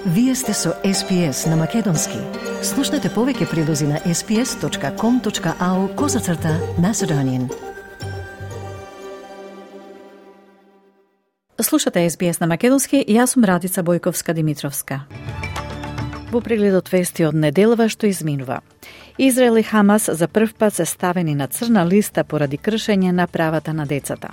Вие сте со SPS на Македонски. Слушнете повеќе прилози на sps.com.au/Macedonian. Слушате SBS на Македонски, јас сум Радица Бојковска-Димитровска. Во прегледот вести од неделава што изминува. Израел и Хамас за прв пат се ставени на црна листа поради кршење на правата на децата.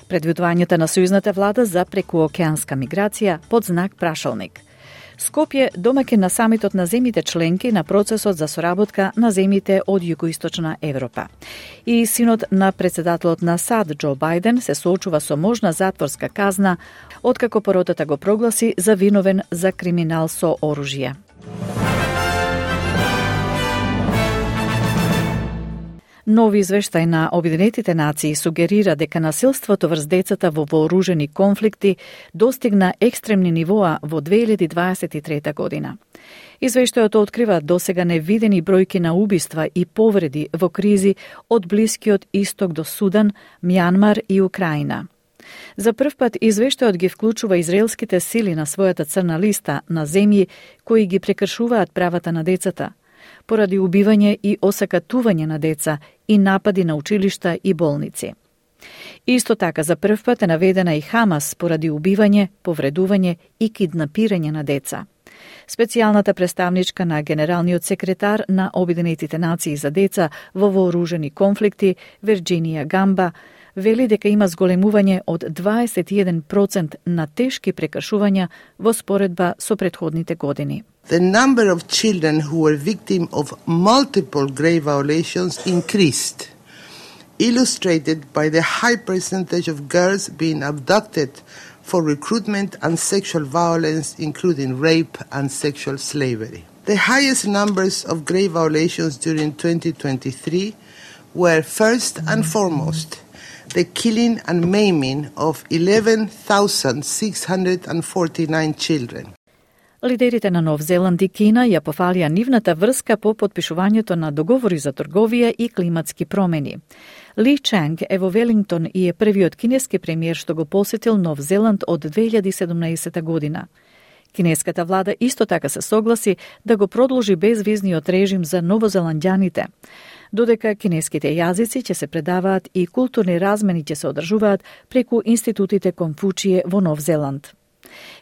Предвидувањето на сојузната влада за прекуокеанска миграција под знак прашалник. Скопје домаќин на самитот на земјите членки на процесот за соработка на земјите од југоисточна Европа. И синот на председателот на САД Џо Бајден се соочува со можна затворска казна откако поротата го прогласи за виновен за криминал со оружје. Нови извештај на Обединетите нации сугерира дека насилството врз децата во вооружени конфликти достигна екстремни нивоа во 2023 година. Извештајот открива досега невидени бројки на убиства и повреди во кризи од Блискиот Исток до Судан, Мјанмар и Украина. За прв пат извештајот ги вклучува израелските сили на својата црна листа на земји кои ги прекршуваат правата на децата, поради убивање и осакатување на деца и напади на училишта и болници. Исто така за прв пат е наведена и Хамас поради убивање, повредување и киднапирање на деца. Специјалната представничка на генералниот секретар на Обединетите нации за деца во вооружени конфликти, Вирџинија Гамба, вели дека има зголемување од 21% на тешки прекршувања во споредба со претходните години. The number of children who were victims of multiple grave violations increased, illustrated by the high percentage of girls being abducted for recruitment and sexual violence, including rape and sexual slavery. The highest numbers of grave violations during 2023 were first and foremost the killing and maiming of 11,649 children. Лидерите на Нов Зеланд и Кина ја пофалија нивната врска по подпишувањето на договори за трговија и климатски промени. Ли Чанг е во Велингтон и е првиот кинески премиер што го посетил Нов Зеланд од 2017 година. Кинеската влада исто така се согласи да го продолжи безвизниот режим за новозеландјаните, додека кинеските јазици ќе се предаваат и културни размени ќе се одржуваат преку институтите Конфучије во Нов Зеланд.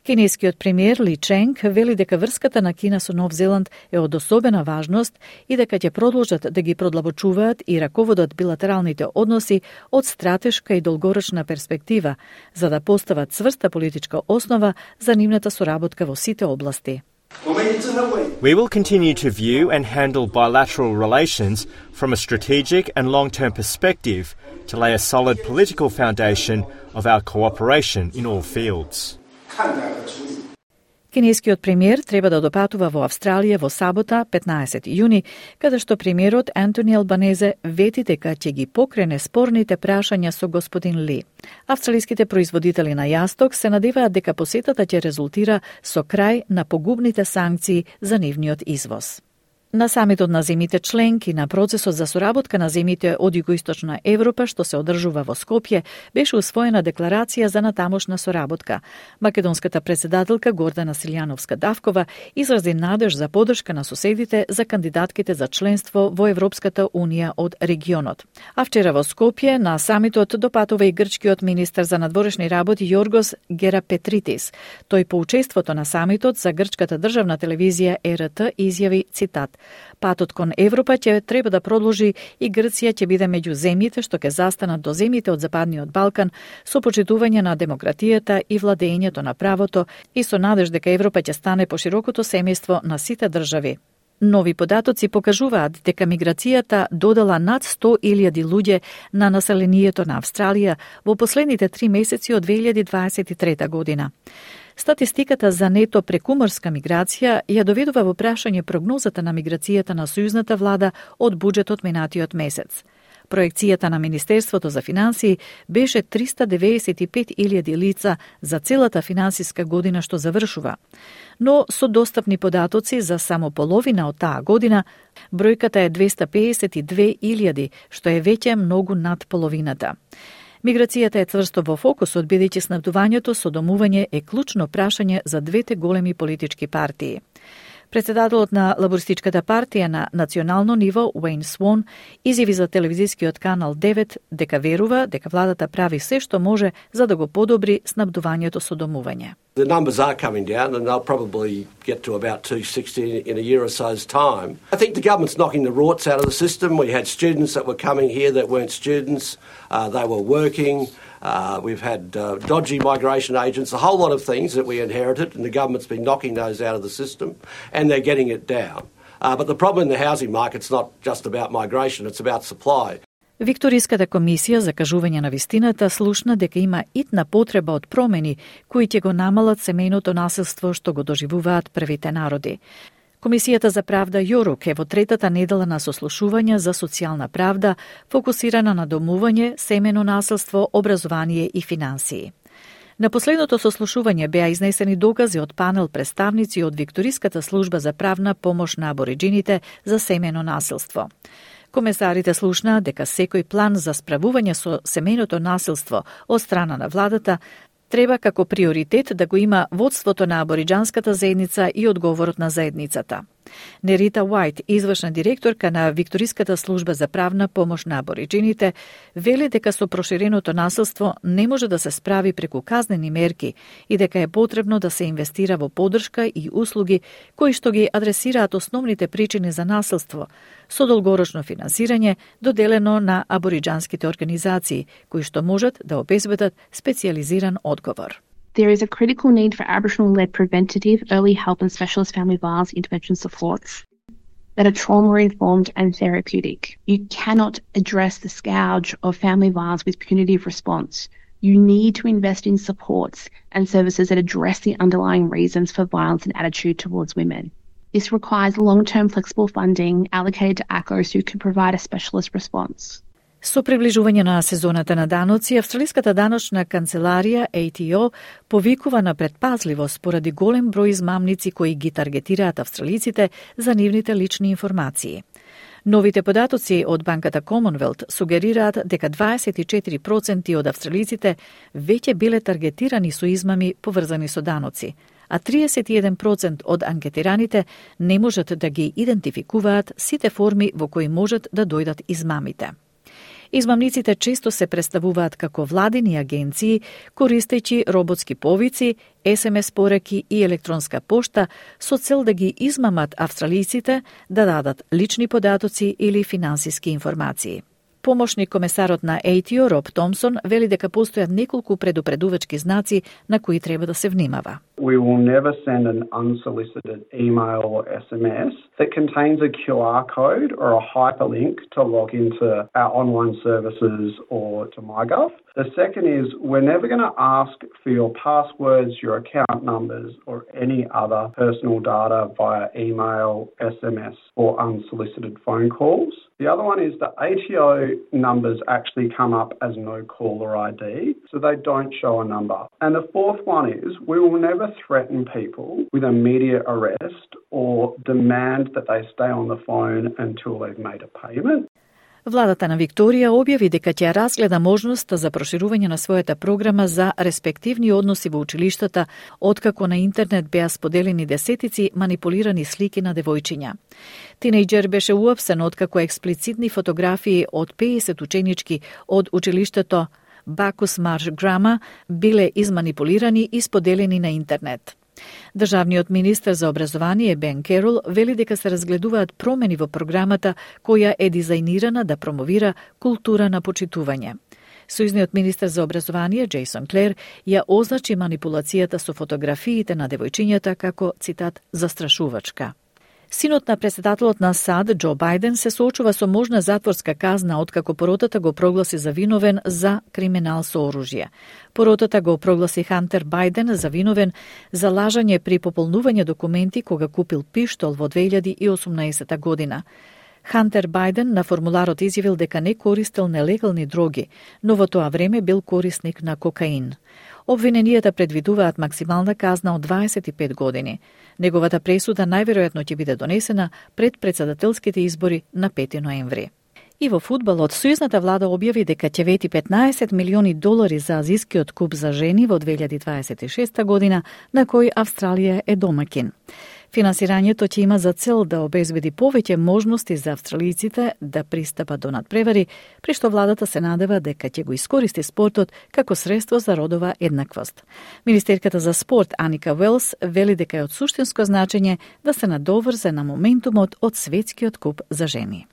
Кинескиот премиер Ли Ченг вели дека врската на Кина со Нов Зеланд е од особена важност и дека ќе продолжат да ги продлабочуваат и раководат билатералните односи од стратешка и долгорочна перспектива, за да постават цврста политичка основа за нивната соработка во сите области. We will continue to view and handle bilateral relations from a strategic and long-term perspective to lay a solid political foundation of our cooperation in all fields. Кинескиот премиер треба да допатува во Австралија во сабота, 15 јуни, каде што премиерот Антони Албанезе вети дека ќе ги покрене спорните прашања со господин Ли. Австралиските производители на јасток се надеваат дека посетата ќе резултира со крај на погубните санкции за нивниот извоз. На самитот на земјите членки на процесот за соработка на земјите од југоисточна Европа што се одржува во Скопје беше усвоена декларација за натамошна соработка. Македонската председателка Гордана Силјановска-Давкова изрази надеж за подршка на соседите за кандидатките за членство во Европската унија од регионот. А вчера во Скопје на самитот допатува и грчкиот министер за надворешни работи Јоргос Герапетритис. Тој по учеството на самитот за грчката државна телевизија ЕРТ изјави цитат: "Патот кон Европа ќе треба да продолжи и Грција ќе биде меѓу земјите што ќе застанат до земјите од Западниот Балкан со почитување на демократијата и владењето на правото и со надеж дека Европа ќе стане поширокото семејство на сите држави." Нови податоци покажуваат дека миграцијата додала над 100.000 луѓе на населението на Австралија во последните 3 месеци од 2023 година. Статистиката за нето прекуморска миграција ја доведува во прашање прогнозата на миграцијата на сојузната влада од буџетот минатиот месец. Проекцијата на Министерството за финансии беше 395.000 лица за целата финансиска година што завршува. Но со достапни податоци за само половина од таа година, бројката е 252.000, што е веќе многу над половината. Миграцијата е цврсто во фокусот, бидејќи снабдувањето со домување е клучно прашање за двете големи политички партии. Председателот на Лабористичката партија на национално ниво, Уейн Свон, изјави за телевизискиот канал 9 дека верува дека владата прави се што може за да го подобри снабдувањето со домување. The numbers are coming down and they'll probably get to about 260 in a year or so's time. I think the government's knocking the rorts out of the system. We had students that were coming here that weren't students. They were working. We've had dodgy migration agents, a whole lot of things that we inherited, and the government's been knocking those out of the system, and they're getting it down. But the problem in the housing market's not just about migration, it's about supply. Викториската комисија за кажување на вистината слушна дека има итна потреба од промени кои ќе го намалат семејното насилство што го доживуваат првите народи. Комисијата за правда Јорук е во третата недела на сослушување за социјална правда, фокусирана на домување, семено насилство, образование и финансии. На последното сослушување беа изнесени докази од панел представници од Викториската служба за правна помош на абориџините за семено насилство. Комесарите слушнаа дека секој план за справување со семејното насилство од страна на владата треба како приоритет да го има водството на абориџанската заедница и одговорот на заедницата. Нерита Уајт, извршна директорка на Викториската служба за правна помош на абориџините, вели дека со проширеното насилство не може да се справи преку казнени мерки и дека е потребно да се инвестира во поддршка и услуги кои што ги адресираат основните причини за насилство, со долгорочно финансирање доделено на абориџанските организации, кои што можат да обезбедат специјализиран одговор. There is a critical need for Aboriginal-led preventative, early help and specialist family violence intervention supports that are trauma-informed and therapeutic. You cannot address the scourge of family violence with punitive response. You need to invest in supports and services that address the underlying reasons for violence and attitude towards women. This requires long-term flexible funding allocated to ACOs who can provide a specialist response. Со приближување на сезоната на даноци, Австралиската даночна канцеларија ATO повикува на предпазливост поради голем број измамници кои ги таргетираат австралиците за нивните лични информации. Новите податоци од банката Commonwealth сугерираат дека 24% од австралиците веќе биле таргетирани со измами поврзани со даноци, а 31% од анкетираните не можат да ги идентификуваат сите форми во кои можат да дојдат измамите. Измамниците често се представуваат како владини агенции, користејќи роботски повици, SMS пораки и електронска пошта со цел да ги измамат австралиците да дадат лични податоци или финансиски информации. Помошник комесарот на ATO Роб Томсон вели дека постојат неколку предупредувачки знаци на кои треба да се внимава. We will never send an unsolicited email or SMS that contains a QR code or a hyperlink to log into our online services or to MyGov. The second is we're never going to ask for your passwords, your account numbers or any other personal data via email, SMS or unsolicited phone calls. The other one is the ATO numbers actually come up as no caller ID, so they don't show a number. And the fourth one is we will never threaten people with immediate arrest or demand that they stay on the phone until they've made a payment. Владата на Викторија објави дека ќе разгледа можноста за проширување на својата програма за респективни односи во училиштата, откако на интернет беа споделени десетици манипулирани слики на девојчиња. Тинејџер беше уапсен откако експлицитни фотографии од 50 ученички од училиштето Бакус Марш Грама биле изманипулирани и споделени на интернет. Државниот министер за образование Бен Керол вели дека се разгледуваат промени во програмата која е дизајнирана да промовира култура на почитување. Сојузниот министер за образование Джейсон Клер ја означи манипулацијата со фотографиите на девојчињата како, цитат, застрашувачка. Синот на председателот на САД, Џо Бајден, се соочува со можна затворска казна откако поротата го прогласи за виновен за криминал со оружје. Поротата го прогласи Хантер Бајден за виновен за лажање при пополнување документи кога купил пиштол во 2018 година. Хантер Бајден на формуларот изјавил дека не користел нелегални дроги, но во тоа време бил корисник на кокаин. Обвиненијата предвидуваат максимална казна од 25 години. Неговата пресуда најверојатно ќе биде донесена пред претседателските избори на 5 ноември. И во фудбалот, сојузната влада објави дека ќе вети $15 милиони за азискиот куп за жени во 2026 година, на кој Австралија е домаќин. Финансирањето ќе има за цел да обезбеди повеќе можности за австралиците да пристапат до надпревари, при што владата се надева дека ќе го искористи спортот како средство за родова еднаквост. Министерката за спорт Аника Велс вели дека е од суштинско значење да се надоврзе на моментумот од светскиот куп за жени.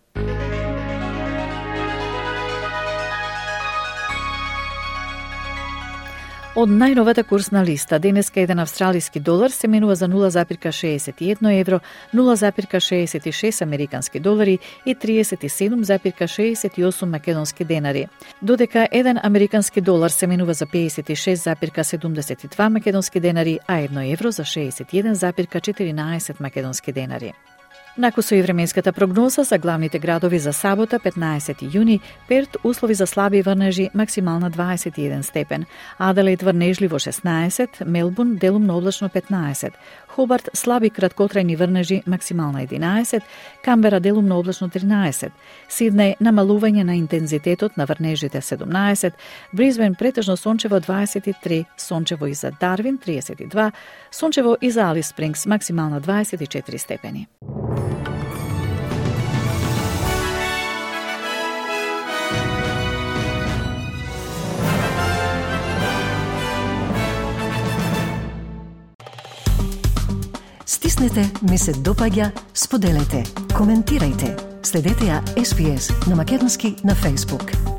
Од најновата курсна листа, денеска еден австралиски долар се менува за 0,61 евро, 0,66 американски долари и 37,68 македонски денари. Додека еден американски долар се менува за 56,72 македонски денари, а 1 евро за 61,14 македонски денари. Накусо и временската прогноза за главните градови за сабота, 15 јуни, Перт услови за слаби врнежи, максимална 21 степен, Аделаид врнежливо 16, Мелбурн делумно облачно 15, Хобарт слаби краткотрајни врнежи, максимална 11, Камбера делумно облачно 13, Сиднеј намалување на интензитетот на врнежите 17, Брисбен претежно сончево 23, сончево и за Дарвин 32, сончево и за Алис Спрингс максимална 24 степени. Стиснете, ми се допаѓа, споделете, коментирајте. Следете ја SPS на Македонски на Facebook.